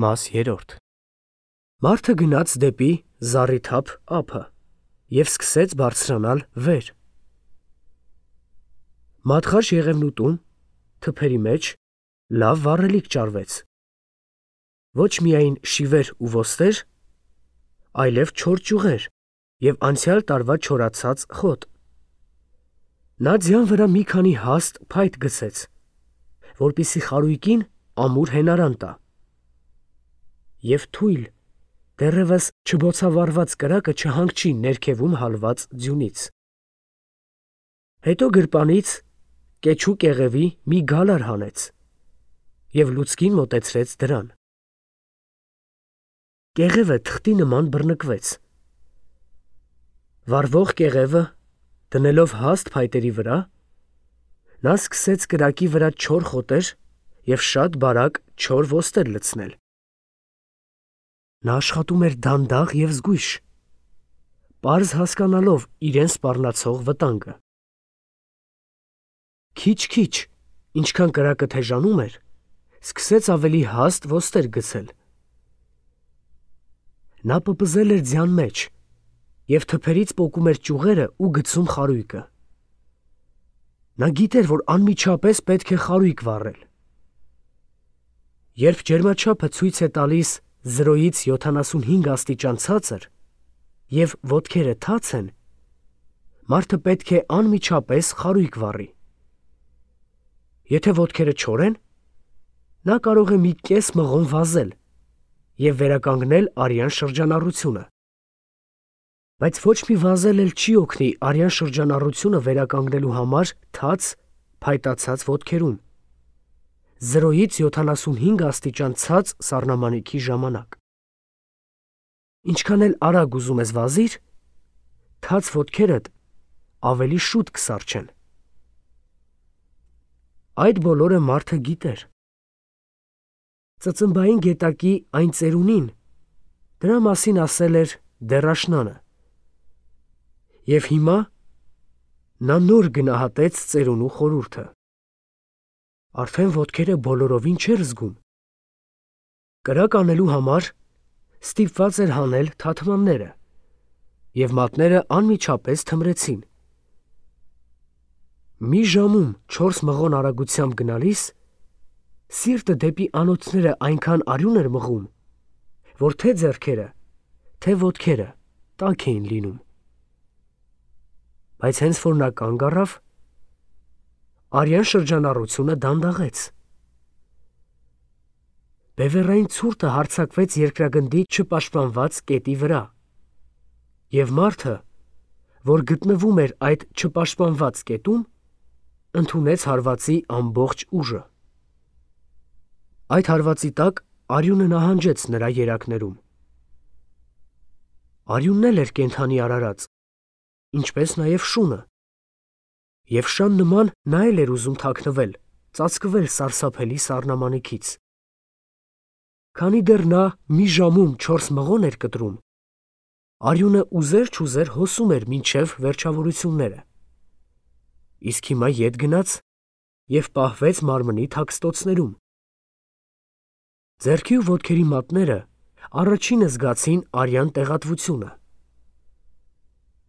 Մաս 3 Մարդը գնաց դեպի զառիթափ ափը և սկսեց բարձրանալ վեր։ Մատղաշ եղևնուտում, թփերի մեջ, լավ վառելիք ճարվեց։ Ոչ միայն շիվեր ու ոստեր, այլև չոր ճյուղեր և անցյալ տարվա չորացած խոտ։ Նա ձյան վրա մի քանի հաստ փայտ գցեց, որպեսզի խարույկին ամուր հենարան տա։ Եվ թույլ, դեռևս չբոցավառված կրակը չհանգչի ներքևում հալված ձյունից։ Հետո գրպանից կեչու կեղևի մի գալար հանեց և լուցկին մոտեցրեց դրան։ Կեղևը թղթի նման բռնկվեց։ Վառվող կեղևը դնելով հաստ փայտերի վրա, նա սկսեց կրակի վրա չոր խոտեր և շատ բարակ չոր ոստեր լցնել։ Նա աշխատում էր դանդաղ և զգույշ, պարզ հասկանալով իրեն սպառնացող վտանգը։ Քիչ-քիչ, ինչքան կրակը թեժանում էր, սկսեց ավելի հաստ ոստեր գցել։ Նա պպզել էր ձյան մեջ և թփերից պոկում էր ճյուղերը ու գցում խարույկը։ Նա գիտեր, որ անմիջապես պետք է խարույկ վառել։ Երբ ջերմաչափը ցույց է տալիս 0-ից 75 աստիճան ցածր և ոտքերը թաց են, մարդը պետք է անմիջապես խարույկ վառի։ Եթե ոտքերը չոր են, նա կարող է մի կես մղոն վազել և վերականգնել արյան շրջանառությունը։ Բայց ոչ մի վազել էլ չի օգնի արյան շրջանառությունը վերականգնելու համար թաց, փայտացած ոտքերում 0-ից 75 աստիճան ցած սառնամանիքի ժամանակ։ Ինչքան էլ արագ ուզում ես վազիր, թաց ոտքերդ ավելի շուտ կսառչեն։ Այդ բոլորը մարդը գիտեր։ Ծծմբային գետակի այն ծերունին դրա մասին ասել էր դեռաշնանը։ Եվ հիմա նա նոր գնահատեց ծերունու խորհուրդը։ Արդեն ոտքերը բոլորովին չէր զգում։ Կրակ անելու համար ստիպված էր հանել թաթմանները, և մատները անմիջապես թմրեցին։ Մի ժամում 4 մղոն արագությամբ գնալիս, սիրտը դեպի անոթները այնքան արյուն էր մղում, որ թե ձեռքերը, թե ոտքերը տաք էին լինում։ Բայց հենց որ նա կանգ առավ, արյան շրջանառությունը դանդաղեց։ Բևեռային ցուրտը հարձակվեց երկրագնդի չպաշտպանված կետի վրա, և մարդը, որ գտնվում էր այդ չպաշտպանված կետում, ընդունեց հարվածի ամբողջ ուժը։ Այդ հարվածի տակ արյունը նահանջեց նրա երակներում։ Արյունն էլ էր կենդանի արարած, ինչպես նաև շունը, և շան նման նա էլ էր ուզում թաքնվել, ծածկվել սարսափելի սառնամանիքից։ Քանի դեռ նա մի ժամում 4 մղոն էր կտրում, արյունը ուզեր-չուզեր հոսում էր մինչև վերջավորությունները, իսկ հիմա ետ գնաց և պահվեց մարմնի թաքստոցներում։ Ձեռքի ու ոտքերի մատները առաջինը զգացին արյան տեղատվությունը։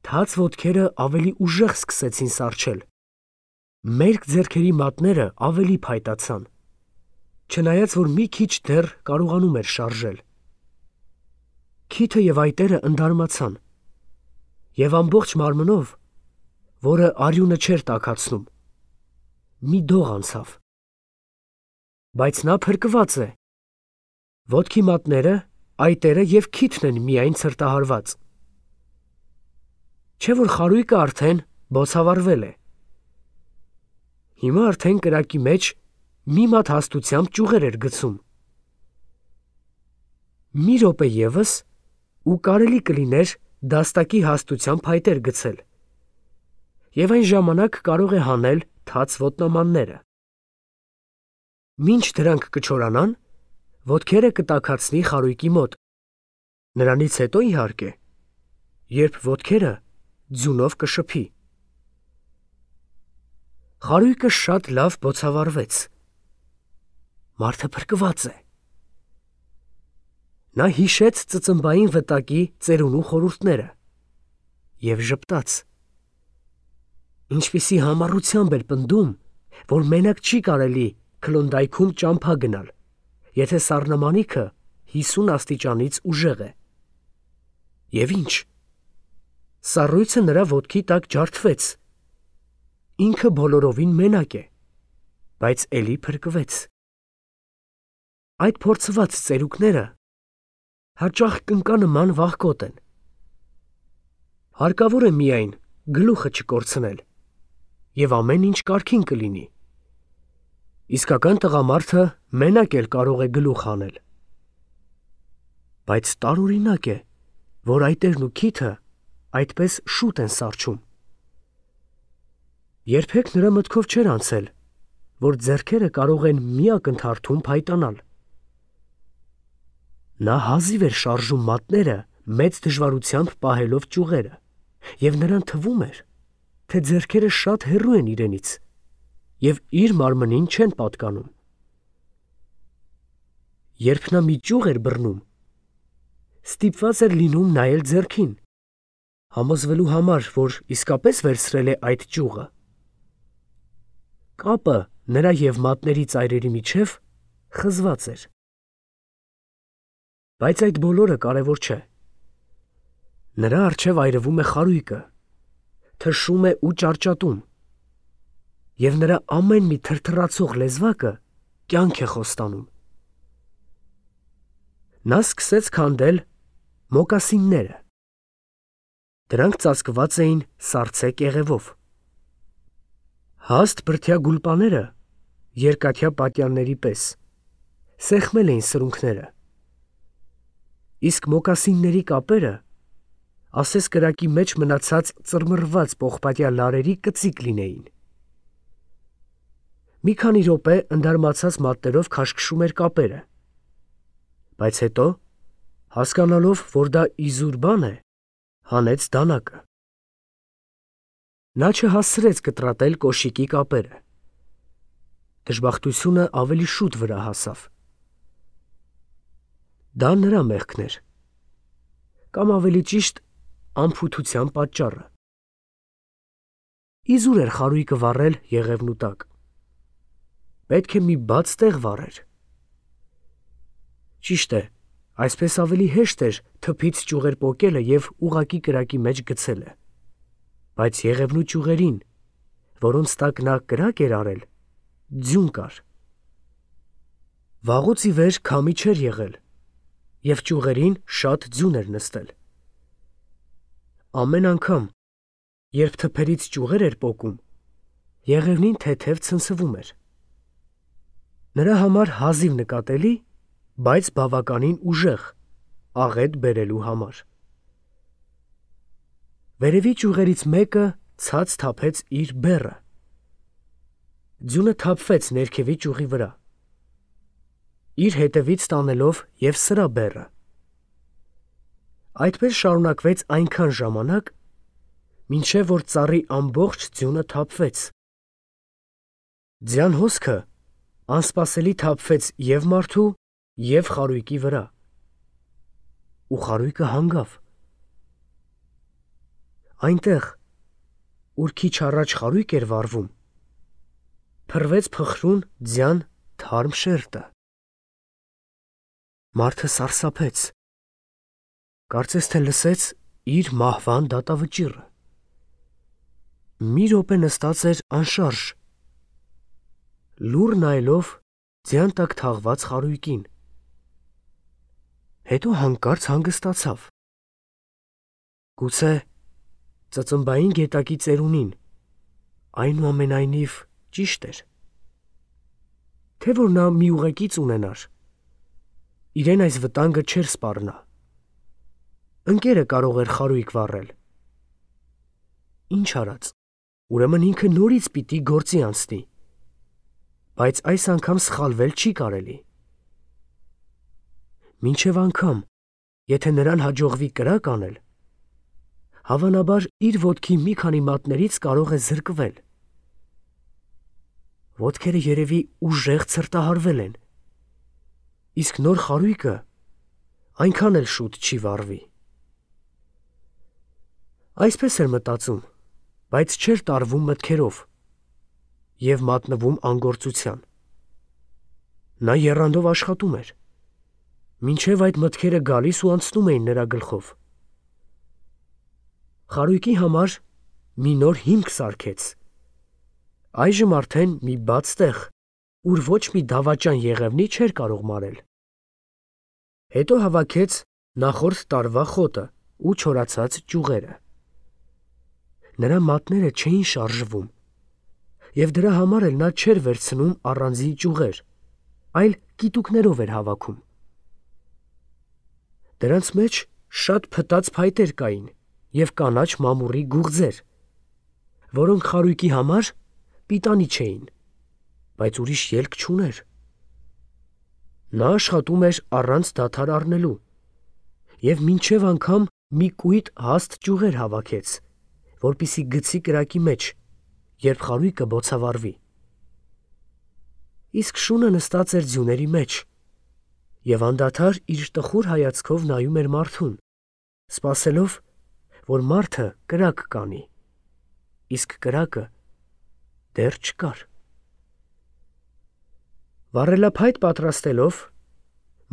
Թաց ոտքերը ավելի ուժեղ սկսեցին սառչել, մերկ ձեռքերի մատները ավելի փայտացան, չնայած որ մի քիչ դեռ կարողանում էր շարժել։ Քիթը և այտերը ընդարմացան, և ամբողջ մարմնով, որը արյունը չէր տաքացնում, մի դող անցավ։ Բայց նա փրկված է։ Ոտքի մատները, այտերը և քիթն են միայն ցրտահարված։ Չէ՞ որ խարույկը արդեն բոցավառվել է։ Հիմա արդեն կրակի մեջ մի մատ հաստությամբ ճյուղեր էր գցում։ Մի րոպե ևս, ու կարելի կլիներ դաստակի հաստությամբ փայտեր գցել, և այն ժամանակ կարող է հանել թաց ոտնամանները։ Մինչ դրանք կչորանան, ոտքերը կտաքացնի խարույկի մոտ, նրանից հետո, իհարկե, երբ ոտքերը ձյունով կշփի։ Խարույկը շատ լավ բոցավառվեց։ Մարդը փրկված է։ Նա հիշեց ծծմբային վտակի ծերունու խորհուրդները և ժպտաց. ինչպիսի համառությամբ էր պնդում, որ մենակ չի կարելի Քլոնդայքում ճամփա գնալ, եթե սառնամանիքը 50 աստիճանից ուժեղ է։ Եվ ինչ, սառույցը նրա ոտքի տակ ջարդվեց, ինքը բոլորովին մենակ է, բայց էլի փրկվեց։ Այդ փորձված ծերուկները հաճախ կնկանման վախկոտ են։ Հարկավոր է միայն գլուխը չկորցնել, և ամեն ինչ կարգին կլինի։ Իսկական տղամարդը մենակ էլ կարող է գլուխ հանել։ Բայց տարօրինակ է, որ այտերն ու քիթը այդպես շուտ են սառչում։ Երբեք նրա մտքով չէր անցել, որ ձեռքերը կարող են մի ակնթարթում փայտանալ։ Նա հազիվ էր շարժում մատները մեծ դժվարությամբ պահելով ճյուղերը, և նրան թվում էր, թե ձեռքերը շատ հեռու են իրենից և իր մարմնին չեն պատկանում։ Երբ նա մի ճյուղ էր բռնում, ստիպված էր լինում նայել ձեռքին, համոզվելու համար, որ իսկապես վերցրել է այդ ճյուղը։ Կապը նրա և մատների ծայրերի միջև խզված էր։ Բայց այդ բոլորը կարևոր չէ։ Նրա առջև այրվում է խարույկը, թշում է ու ճարճատում, և նրա ամեն մի թրթռացող լեզվակը կյանք է խոստանում։ Նա սկսեց քանդել մոկասինները։ Դրանք ծածկված էին սառցե կեղևով։ Հաստ բրդյա գուլպաները, երկաթյա պատյանների պես, սեղմել էին սրունքները, իսկ մոկասինների կապերը ասես կրակի մեջ մնացած ծռմռված պողպատյա լարերի կծիկ լինեին։ Մի քանի րոպե ընդարմացած մատներով քաշքշում էր կապերը, բայց հետո, հասկանալով, որ դա իզուր բան է, հանեց դանակը։ Նա չհասցրեց կտրատել կոշիկի կապերը։ Դժբախտությունը ավելի շուտ վրա հասավ։ Դա նրա մեղքն էր, կամ ավելի ճիշտ, անփութության պատճառը։ Իզուր էր խարույկը վառել եղևնու տակ։ Պետք է մի բաց տեղ վառեր։ Ճիշտ է, այսպես ավելի հեշտ էր թփից ճյուղեր պոկելը և ուղղակի կրակի մեջ գցելը, բայց եղևնու ճյուղերին, որոնց տակ նա կրակ էր արել, ձյուն կար։ Վաղուց ի վեր քամի չէր եղել, և ճյուղերին շատ ձյուն էր նստել։ Ամեն անգամ, երբ թփերից ճյուղեր էր պոկում, եղևնին թեթև ցնցվում էր։ Նրա համար հազիվ նկատելի, բայց բավականին ուժեղ, աղետ բերելու համար։ Վերևի ճյուղերից մեկը ցած թափեց իր բեռը։ Ձյունը թափվեց ներքևի ճյուղի վրա, իր հետևից տանելով և սրա բեռը։ Այդպես շարունակվեց այնքան ժամանակ, մինչև որ ծառի ամբողջ ձյունը թափվեց։ Ձյան հոսքը անսպասելի թափվեց և մարդու, և խարույկի վրա, ու խարույկը հանգավ։ Այնտեղ, ուր քիչ առաջ խարույկ էր վառվում, փռվեց փխրուն ձյան թարմ շերտը։ Մարդը սարսափեց, կարծես թե լսեց իր մահվան դատավճիռը։ Մի րոպե նստած էր անշարժ, լուռ նայելով ձյան տակ թաղված խարույկին։ Հետո հանկարծ հանգստացավ։ Գուցե ծծմբային գետակի ծերունին այնուամենայնիվ ճիշտ էր, թե որ նա մի ուղեկից ունենար, իրեն այս վտանգը չէր սպառնա։ Ընկերը կարող էր խարույկ վառել։ Ինչ արած, ուրեմն ինքը նորից պիտի գործի անցնի, բայց այս անգամ սխալվել չի կարելի։ Մինչև անգամ, եթե նրան հաջողվի կրակ անել, հավանաբար իր ոտքի մի քանի մատներից կարող է զրկվել։ Ոտքերը երևի ուժեղ ցրտահարվել են, իսկ նոր խարույկը այնքան էլ շուտ չի վառվի։ Այսպես էր մտածում, բայց չէր տարվում մտքերով և մատնվում անգործության։ Նա եռանդով աշխատում էր, մինչև այդ մտքերը գալիս ու անցնում էին նրա գլխով։ Խարույկի համար մի նոր հիմք սարքեց։ Այժմ արդեն մի բաց տեղ, ուր ոչ մի դավաճան Եղևնի չէր կարող մարել։ Հետո հավաքեց նախորդ տարվա խոտը ու չորացած ճյուղերը։ Նրա մատները չէին շարժվում, և դրա համար էլ նա չէր վերցնում առանձին ճյուղեր, այլ կիտուկներով էր հավաքում։ Դրանց մեջ շատ փտած փայտեր կային և կանաչ մամուռի գուղձեր, որոնք խարույկի համար պիտանի չէին, բայց ուրիշ ելք չուներ։ Նա աշխատում էր առանց դադար առնելու և մինչև անգամ մի կույտ հաստ ճյուղեր հավաքեց, որպեսզի գցի կրակի մեջ, երբ խարույկը բոցավառվի։ Իսկ շունը նստած էր ձյուների մեջ և անդադար իր տխուր հայացքով նայում էր մարդուն, սպասելով, որ մարդը կրակ կանի, իսկ կրակը դեռ չկար։ Վառելափայտ պատրաստելով,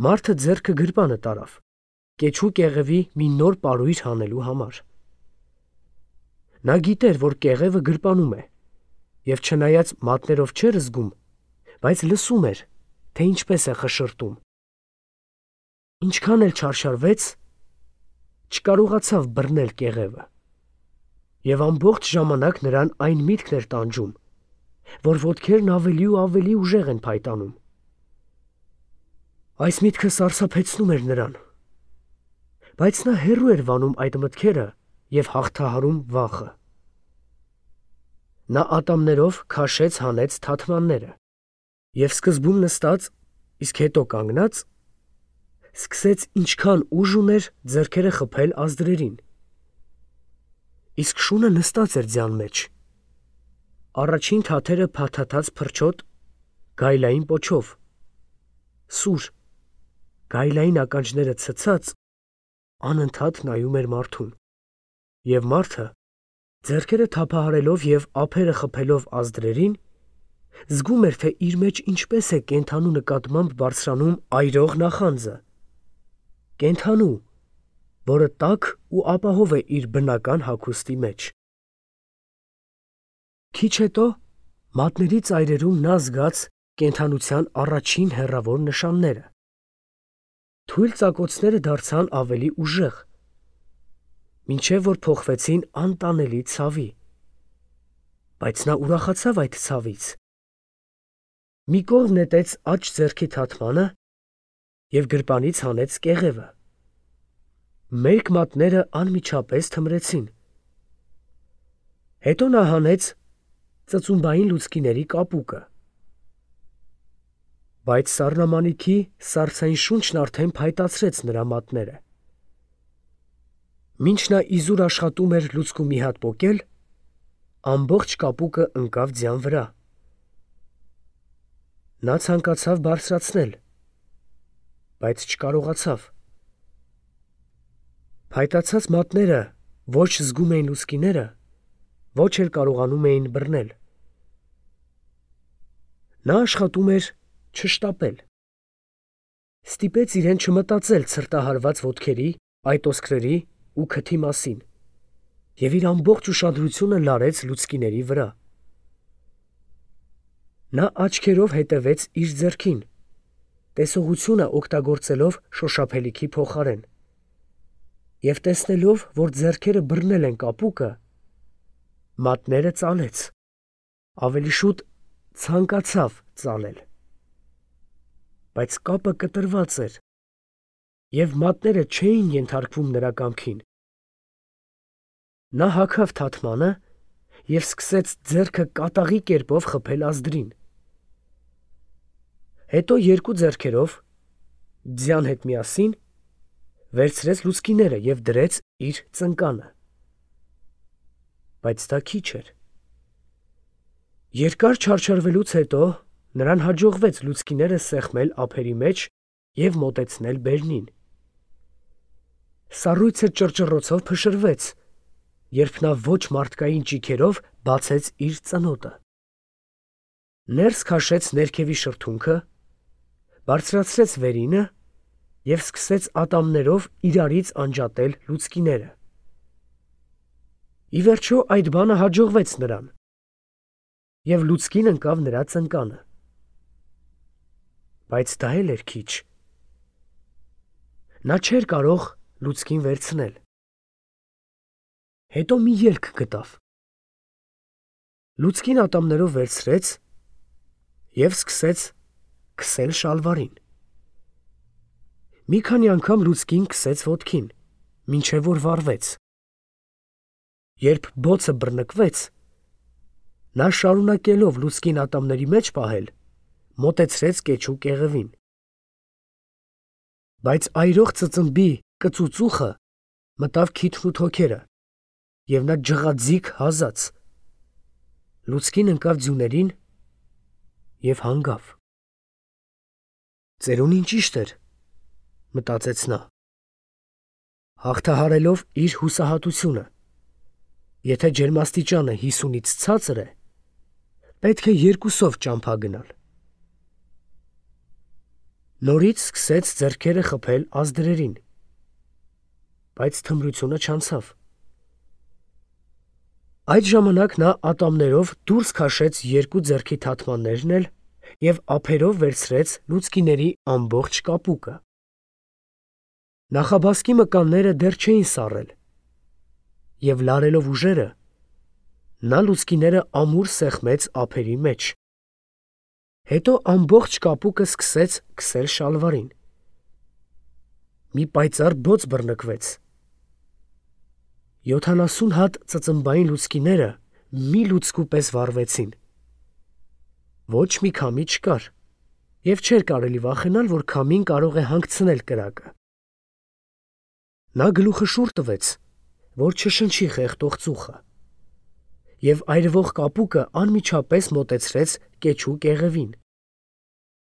մարդը ձեռքը գրպանը տարավ, կեչու կեղևի մի նոր պարույր հանելու համար։ Նա գիտեր, որ կեղևը գրպանում է, և չնայած մատներով չէր զգում, բայց լսում էր, թե ինչպես է խշշրտում։ Ինչքան էլ չարշարվեց, չկարողացավ բռնել կեղևը, և ամբողջ ժամանակ նրան այն միտքն էր տանջում, որ ոտքերն ավելի ու ավելի ուժեղ են փայտանում։ Այս միտքը սարսափեցնում էր նրան, բայց նա հեռու էր վանում այդ մտքերը և հաղթահարում վախը։ Նա ատամներով քաշեց հանեց թաթմանները և սկզբում նստած, իսկ հետո կանգնած, սկսեց ինչքան ուժ ուներ ձեռքերը խփել ազդրերին։ Իսկ շունը նստած էր ձյան մեջ։ Առաջին թաթերը փաթաթած փրչոտ, գայլային պոչով, սուր, գայլային ականջները ցցած, անընդհատ նայում էր մարդուն, և մարդը, ձեռքերը թափահարելով և ափերը խփելով ազդրերին, զգում էր, թե իր մեջ ինչպես է կենդանու նկատմամբ բարձրանում այրող նախանձը, կենդանու, որը տաք ու ապահով է իր բնական հագուստի մեջ։ Քիչ հետո մատների ծայրերում նա զգաց կենդանության առաջին հեռավոր նշանները։ Թույլ ծակոցները դարձան ավելի ուժեղ, մինչև որ փոխվեցին անտանելի ցավի, բայց նա ուրախացավ այդ ցավից։ Մի կողմ նետեց աջ ձեռքի թաթմանը և գրպանից հանեց կեղևը։ Մերկ մատները անմիջապես թմրեցին։ Հետո նա հանեց ծծումբային լուցկիների կապուկը։ Բայց սառնամանիքի սառցային շունչն արդեն փայտացրեց նրա մատները։ Մինչ նա իզուր աշխատում էր լուցկու մի հատ պոկել, ամբողջ կապուկը ընկավ ձյան վրա։ Նա ցանկացավ բարձրացնել, բայց չկարողացավ։ Փայտացած մատները ոչ զգում էին լուցկիները, ոչ էլ կարողանում էին բռնել։ Նա աշխատում էր չշտապել։ Ստիպեց իրեն չմտածել ցրտահարված ոտքերի, այտոսկրերի ու քթի մասին և իր ամբողջ ուշադրությունը լարեց լուցկիների վրա։ Նա աչքերով հետևեց իր ձեռքին, տեսողությունը օգտագործելով շոշափելիքի փոխարեն, և տեսնելով, որ ձեռքերը բռնել են կապուկը, մատները ծալեց, ավելի շուտ ցանկացավ ծալել։ Բայց կապը կտրված էր, և մատները չէին ենթարկվում նրա կամքին։ Նա հագավ թաթմանը և սկսեց ձեռքը կատաղի կերպով խփել ազդրին։ Հետո երկու ձեռքերով, ձյան հետ միասին, վերցրեց լուցկիները և դրեց իր ծնկանը։ Բայց դա քիչ էր։ Երկար չարչարվելուց հետո նրան հաջողվեց լուցկիները սեղմել ափերի մեջ և մոտեցնել բերնին։ Սառույցը ճռճռոցով փշրվեց, երբ նա ոչ մարդկային ճիգերով բացեց իր ծնոտը։ Ներս քաշեց ներքևի շրթունքը, բարձրացրեց վերինը և սկսեց ատամներով իրարից անջատել լուցկիները։ Ի վերջո այդ բանը հաջողվեց նրան, և լուցկին ընկավ նրա ծնկանը։ Բայց դա էլ էր քիչ։ Նա չէր կարող լուցկին վերցնել։ Հետո մի ելք գտավ։ Լուցկին ատամներով վերցրեց և սկսեց քսել շալվարին։ Մի քանի անգամ լուցկին քսեց ոտքին, մինչև որ վառվեց։ Երբ բոցը բռնկվեց, նա շարունակելով լուցկին ատամների մեջ պահել, մոտեցրեց կեչու կեղևին։ Բայց այրող ծծմբի կծուծուխը մտավ քիթն ու թոքերը, և նա ջղաձիգ հազաց։ Լուցկին ընկավ ձյուներին և հանգավ։ Ծերունին ճիշտ էր, մտածեց նա, հաղթահարելով իր հուսահատությունը։ Եթե ջերմաստիճանը 50-ից ցածր է, պետք է 2-ով ճամփա գնալ։ Նորից սկսեց ձեռքերը խփել ազդրերին, բայց թմրությունը չանցավ։ Այդ ժամանակ նա ատամներով դուրս քաշեց 2 ձեռքի թաթմաններն էլ և ափերով վերցրեց լուցկիների ամբողջ կապուկը։ Նախաբասկի մկանները դեռ չէին սառել, և լարելով ուժերը, նա լուցկիները ամուր սեղմեց ափերի մեջ։ Հետո ամբողջ կապուկը սկսեց քսել շալվարին։ Մի պայծառ բոց բռնկվեց։ 70 հատ ծծմբային լուցկիները մի լուցկու պես վառվեցին։ Ոչ մի քամի չկար, և չէր կարելի վախենալ, որ քամին կարող է հանգցնել կրակը։ Նա գլուխը շուռ տվեց, որ չշնչի խեղդող ծուխը, և այրվող կապուկը անմիջապես մոտեցրեց կեչու կեղևին։